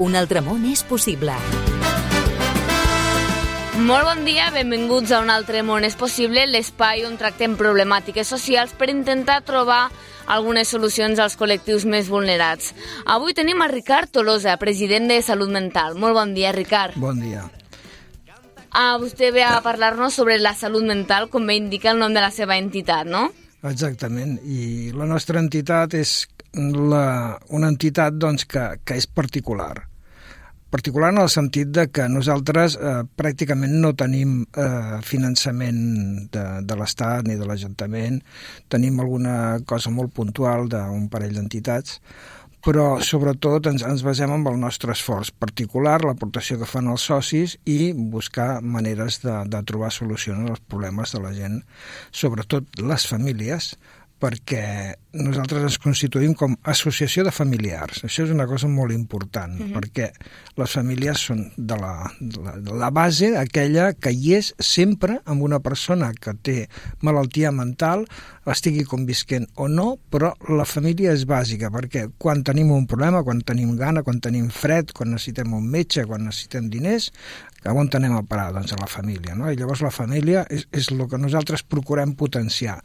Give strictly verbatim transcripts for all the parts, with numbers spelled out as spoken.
Un altre món és possible. Molt bon dia, benvinguts a Un altre món és possible, l'espai on tractem problemàtiques socials per intentar trobar algunes solucions als col·lectius més vulnerats. Avui tenim a Ricard Tolosa, president de Salut Mental. Molt bon dia, Ricard. Bon dia. Ah, vostè ve a parlar-nos sobre la salut mental, com bé indica el nom de la seva entitat, no? Exactament, i la nostra entitat és la, una entitat doncs, que, que és particular. Particular en el sentit de que nosaltres eh, pràcticament no tenim eh, finançament de, de l'Estat ni de l'Ajuntament, tenim alguna cosa molt puntual d'un parell d'entitats, però sobretot ens, ens basem en el nostre esforç particular, l'aportació que fan els socis i buscar maneres de, de trobar solucions als problemes de la gent, sobretot les famílies, perquè nosaltres ens constituïm com associació de familiars. Això és una cosa molt important, mm-hmm. perquè les famílies són de la, de la, de la base, aquella que hi és sempre amb una persona que té malaltia mental, estigui convisquent o no, però la família és bàsica, perquè quan tenim un problema, quan tenim gana, quan tenim fred, quan necessitem un metge, quan necessitem diners, on anem a parar? Doncs a la família, no? I llavors la família és, és el que nosaltres procurem potenciar,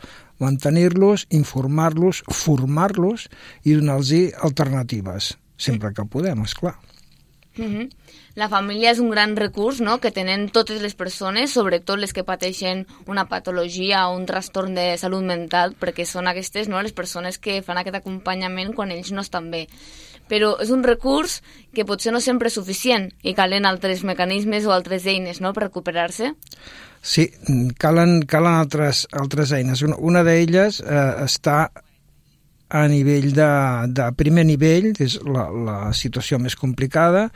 mantenir-los, informar-los, formar-los i donar-los alternatives, sempre que podem, esclar. Mm-hmm. La família és un gran recurs, no?, que tenen totes les persones, sobretot les que pateixen una patologia o un trastorn de salut mental, perquè són aquestes, no?, les persones que fan aquest acompanyament quan ells no estan bé. Però és un recurs que potser no sempre és suficient i calen altres mecanismes o altres eines, no?, per recuperar-se. Sí, calen, calen altres, altres eines. Una, una d'elles eh, està a nivell de, de primer nivell, és la, la situació més complicada,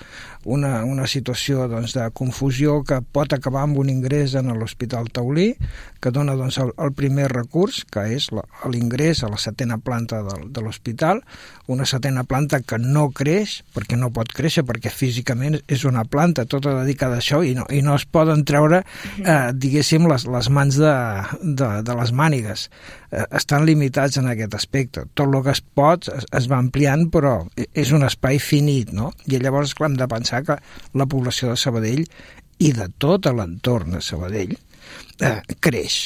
una, una situació doncs, de confusió que pot acabar amb un ingrés en l'Hospital Taulí, que dona doncs, el, el primer recurs, que és la, l'ingrés a la setena planta de, de l'hospital, una setena planta que no creix, perquè no pot créixer, perquè físicament és una planta tota dedicada a això i no, i no es poden treure, eh, diguéssim, les, les mans de, de, de les mànigues. Eh, estan limitats en aquest aspecte. Tot el que es pot es, es va ampliant, però és un espai finit, no? I llavors, clar, hem de pensar que la població de Sabadell i de tot l'entorn de Sabadell eh, creix.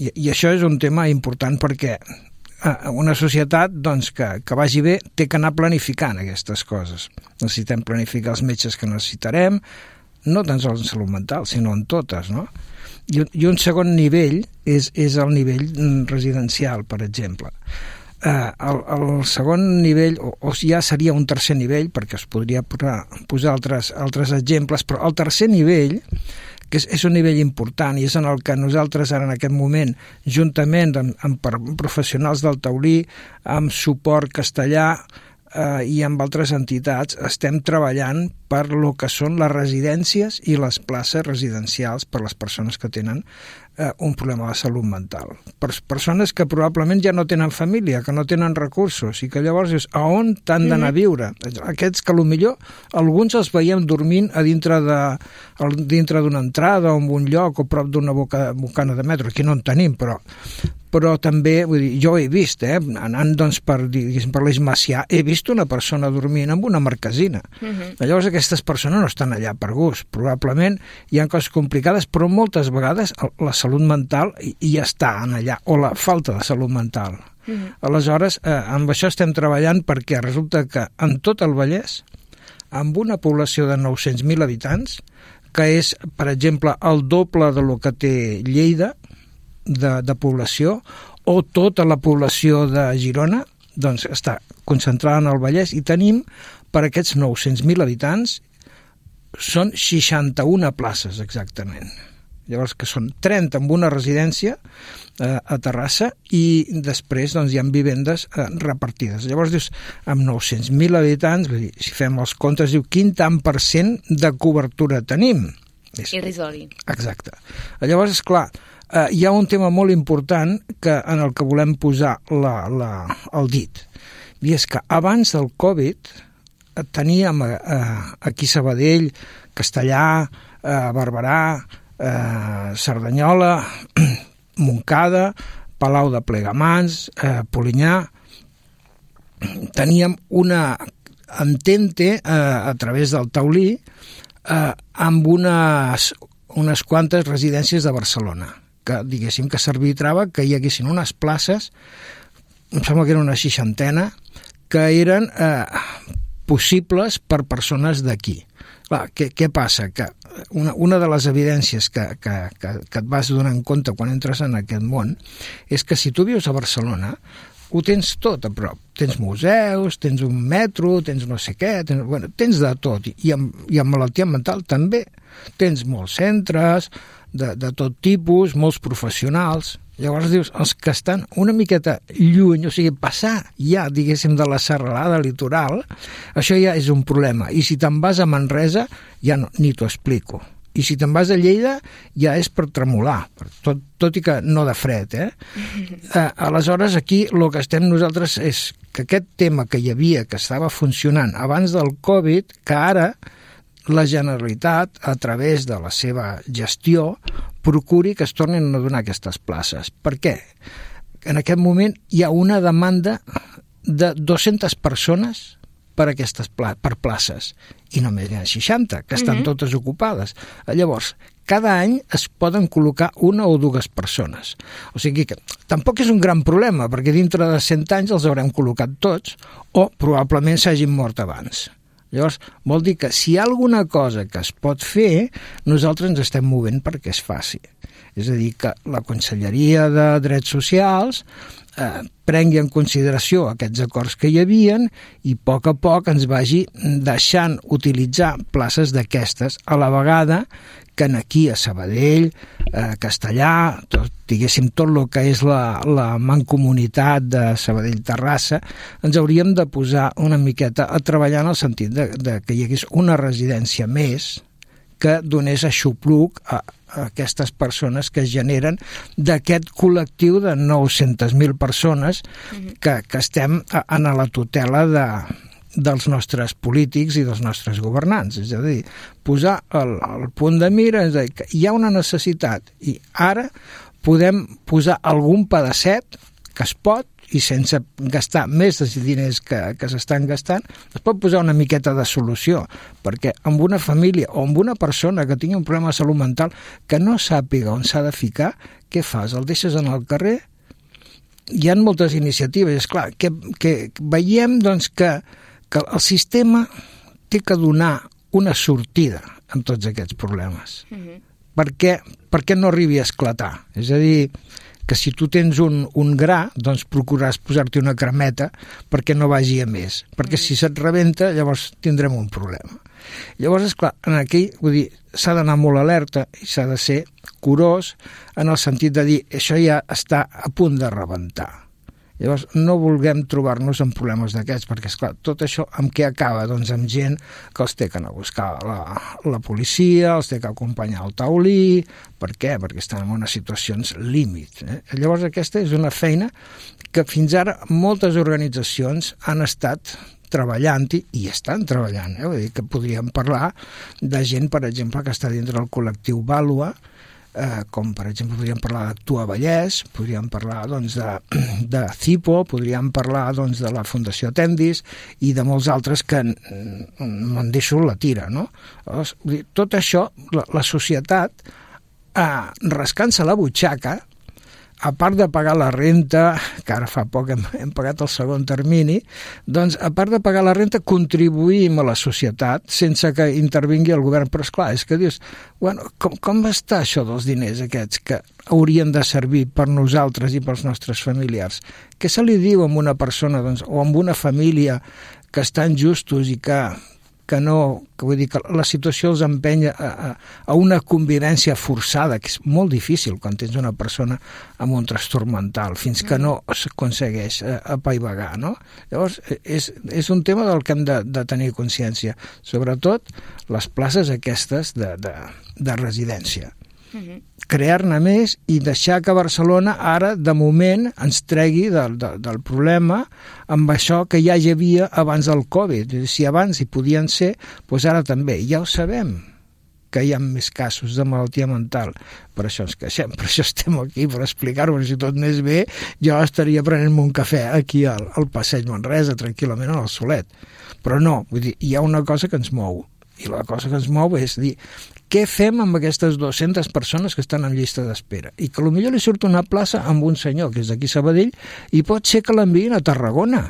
I, I això és un tema important perquè eh, una societat doncs, que, que vagi bé té que anar planificant aquestes coses. Necessitem planificar els metges que necessitarem, no tan sols en salut mental, sinó en totes, no? I, i un segon nivell és, és el nivell residencial, per exemple. Uh, el, el segon nivell, o, o ja seria un tercer nivell, perquè es podria posar, posar altres, altres exemples, però el tercer nivell, que és, és un nivell important i és en el que nosaltres ara en aquest moment, juntament amb, amb professionals del Taulí, amb suport castellà eh, i amb altres entitats, estem treballant per lo que són les residències i les places residencials per les persones que tenen eh, un problema de salut mental. Per persones que probablement ja no tenen família, que no tenen recursos, i que llavors és a on t'han d'anar a viure. Aquests que potser alguns els veiem dormint a dintre de, a dintre d'una entrada o en un lloc o prop d'una boca, bocana de metro. Aquí no en tenim, però però també, vull dir, jo ho he vist, eh, anant doncs per, diguéssim, per l'Eix Macià, he vist una persona dormint amb una marquesina. Uh-huh. Llavors aquestes persones no estan allà per gust. Probablement hi ha coses complicades, però moltes vegades la salut mental hi està allà, o la falta de salut mental. Uh-huh. Aleshores, eh, amb això estem treballant perquè resulta que en tot el Vallès, amb una població de nou-cents mil habitants, que és, per exemple, el doble de lo que té Lleida, De, de població, o tota la població de Girona, doncs està concentrada en el Vallès, i tenim per aquests nou-cents mil habitants són seixanta-una places exactament. Llavors, que són trenta amb una residència eh, a Terrassa, i després doncs, hi ha vivendes eh, repartides. Llavors dius, amb nou-cents mil habitants, vull dir, si fem els comptes, diu, quin tant per cent de cobertura tenim? Irrisori. Exacte. Llavors, esclar, Uh, hi ha un tema molt important que, en el que volem posar la, la, el dit, i és que abans del Covid teníem uh, aquí Sabadell, Castellà, uh, Barberà, uh, Cerdanyola, Montcada, Palau de Plegamans, uh, Polinyà. Teníem una entén-te eh, a través del taulí eh, amb unes, unes quantes residències de Barcelona, que diguéssim que s'arbitrava que hi haguessin unes places, em sembla que era una seixantena, que eren eh, possibles per persones d'aquí. Clar, què, què passa? Que una, una de les evidències que, que, que, que et vas donar en compte quan entres en aquest món és que si tu vius a Barcelona ho tens tot a prop. Tens museus, tens un metro, tens no sé què, tens, bueno, tens de tot. I amb, i amb malaltia mental també. Tens molts centres de, de tot tipus, molts professionals. Llavors dius, els que estan una miqueta lluny, o sigui, passar ja, diguéssim, de la serralada litoral, això ja és un problema. I si te'n vas a Manresa, ja no, ni t'ho explico. I si te'n vas a Lleida, ja és per tremolar, tot, tot i que no de fred, eh? eh aleshores, aquí el que estem nosaltres és que aquest tema que hi havia, que estava funcionant abans del Covid, que ara la Generalitat, a través de la seva gestió, procuri que es tornin a donar aquestes places. Per què? En aquest moment hi ha una demanda de dues-centes persones per aquestes pla per places, i només n'hi ha seixanta, que estan uh-huh. totes ocupades. Llavors, cada any es poden col·locar una o dues persones. O sigui que tampoc és un gran problema, perquè dintre de cent anys els haurem col·locat tots, o probablement s'hagin mort abans. Llavors, vol dir que si hi ha alguna cosa que es pot fer, nosaltres ens estem movent perquè es faci. És a dir, que la Conselleria de Drets Socials eh, prengui en consideració aquests acords que hi havien i a poc a poc ens vagi deixant utilitzar places d'aquestes, a la vegada que aquí a Sabadell, eh, Castellà, tot, diguéssim tot el que és la, la mancomunitat de Sabadell-Terrassa, ens hauríem de posar una miqueta a treballar en el sentit de, de que hi hagués una residència més que donés aixopluc a, a aquestes persones que es generen d'aquest col·lectiu de nou-centes mil persones que, que estem a, a la tutela de dels nostres polítics i dels nostres governants. És a dir, posar el, el punt de mira, és a dir, que hi ha una necessitat i ara podem posar algun pedacet que es pot i sense gastar més dels diners que, que s'estan gastant, es pot posar una miqueta de solució, perquè amb una família o amb una persona que tingui un problema de salut mental que no sàpiga on s'ha de ficar, què fas? El deixes en el carrer? Hi ha moltes iniciatives, és clar, que, que veiem doncs, que que el sistema té que donar una sortida en tots aquests problemes. Uh-huh. Per què, per què no arribi a esclatar? És a dir, que si tu tens un, un gra, doncs procuraràs posar-te una cremeta perquè no vagi a més. Perquè uh-huh. si se't rebenta, llavors tindrem un problema. Llavors, esclar, en aquell, vull dir, s'ha d'anar molt alerta i s'ha de ser curós en el sentit de dir això ja està a punt de rebentar. Llavors, no vulguem trobar-nos en problemes d'aquests, perquè, esclar, tot això amb què acaba? Doncs amb gent que els té que anar a buscar la, la policia, els té que acompanyar al taulí. Per què? Perquè estan en unes situacions límit. Eh? Llavors, aquesta és una feina que fins ara moltes organitzacions han estat treballant-hi i estan treballant. Eh? Vull dir que podríem parlar de gent, per exemple, que està dintre del col·lectiu Vàlua, Eh, com per exemple podríem parlar d'Actua Vallès, podríem parlar doncs, de, de Cipo, podríem parlar doncs, de la Fundació Tendis i de molts altres que me'n deixo la tira, no? Llavors, tot això, la, la societat, eh, rascant-se la butxaca, a part de pagar la renta, que ara fa poc hem, hem pagat el segon termini, doncs a part de pagar la renta contribuïm a la societat sense que intervingui el govern. Però esclar, és que dius, bueno, com, com va estar això dels diners aquests que haurien de servir per nosaltres i pels nostres familiars? Què se li diu a una persona doncs, o a una família que estan justos i que que no, que vull dir que la situació els empenya a, a, a una convivència forçada, que és molt difícil quan tens una persona amb un trastorn mental, fins que no s'aconsegueix apaivagar, no? Llavors, és, és un tema del que hem de, de tenir consciència, sobretot les places aquestes de, de, de residència. Uh-huh. Crear-ne més i deixar que Barcelona ara, de moment, ens tregui del, del, del problema amb això que ja hi havia abans del Covid. Si abans hi podien ser, doncs ara també. Ja ho sabem, que hi ha més casos de malaltia mental. Per això ens queixem, per això estem aquí, per explicar-ho. Si tot anés bé, jo estaria prenent-me un cafè aquí al, al Passeig Manresa, tranquil·lament al Solet. Però no, vull dir, hi ha una cosa que ens mou, i la cosa que ens mou és dir, què fem amb aquestes dues-centes persones que estan en llista d'espera? I que potser li surt una plaça amb un senyor, que és d'aquí Sabadell, i pot ser que l'enviïn a Tarragona,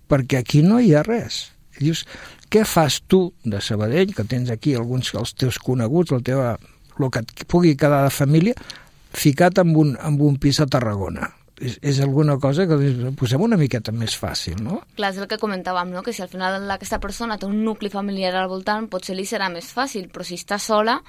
perquè aquí no hi ha res. I dius, què fas tu de Sabadell, que tens aquí alguns dels teus coneguts, el teu, el que et pugui quedar de família, ficat en un, en un pis a Tarragona? És, és alguna cosa que posem una miqueta més fàcil, no? Clar, és el que comentàvem, no? Que si al final aquesta persona té un nucli familiar al voltant, potser li serà més fàcil, però si està sola,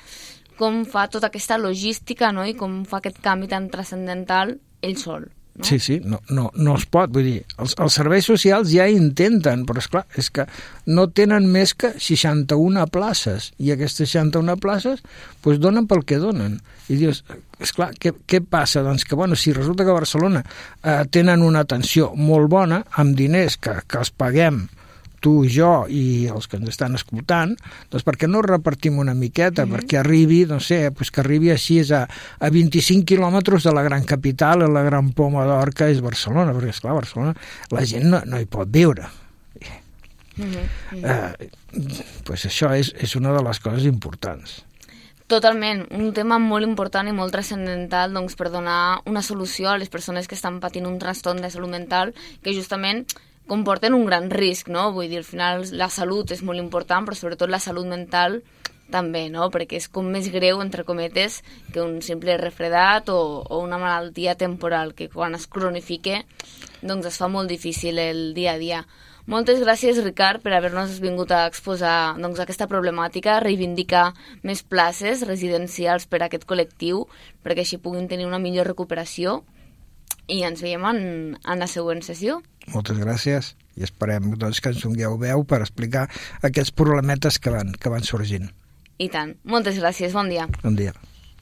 com fa tota aquesta logística, no? I com fa aquest canvi tan transcendental ell sol. No? Sí, sí, no, no, no es pot, vull dir, els, els serveis socials ja intenten, però esclar, és que no tenen més que seixanta-una places, i aquestes seixanta-una places doncs donen pel que donen. I dius, esclar, què, què passa? Doncs que, bueno, si resulta que a Barcelona eh, tenen una atenció molt bona, amb diners que, que els paguem tu, jo i els que ens estan escoltant, doncs per què no repartim una miqueta, mm-hmm. perquè arribi, no sé, doncs que arribi així a, a vint-i-cinc quilòmetres de la gran capital, a la gran poma d'or que és Barcelona, perquè, esclar, Barcelona la gent no, no hi pot viure. Mm-hmm. Eh, doncs això és, és una de les coses importants. Totalment, un tema molt important i molt transcendental doncs, per donar una solució a les persones que estan patint un trastorn de salut mental que justament comporten un gran risc, no? Vull dir, al final la salut és molt important, però sobretot la salut mental també, no? Perquè és com més greu, entre cometes, que un simple refredat o, o una malaltia temporal, que quan es cronifique doncs es fa molt difícil el dia a dia. Moltes gràcies, Ricard, per haver-nos vingut a exposar doncs, aquesta problemàtica, reivindicar més places residencials per a aquest col·lectiu, perquè així puguin tenir una millor recuperació. I ens veiem en, en la següent sessió. Moltes gràcies i esperem doncs, que ens dongueu veu per explicar aquests problemetes que van, que van sorgint. I tant. Moltes gràcies. Bon dia. Bon dia.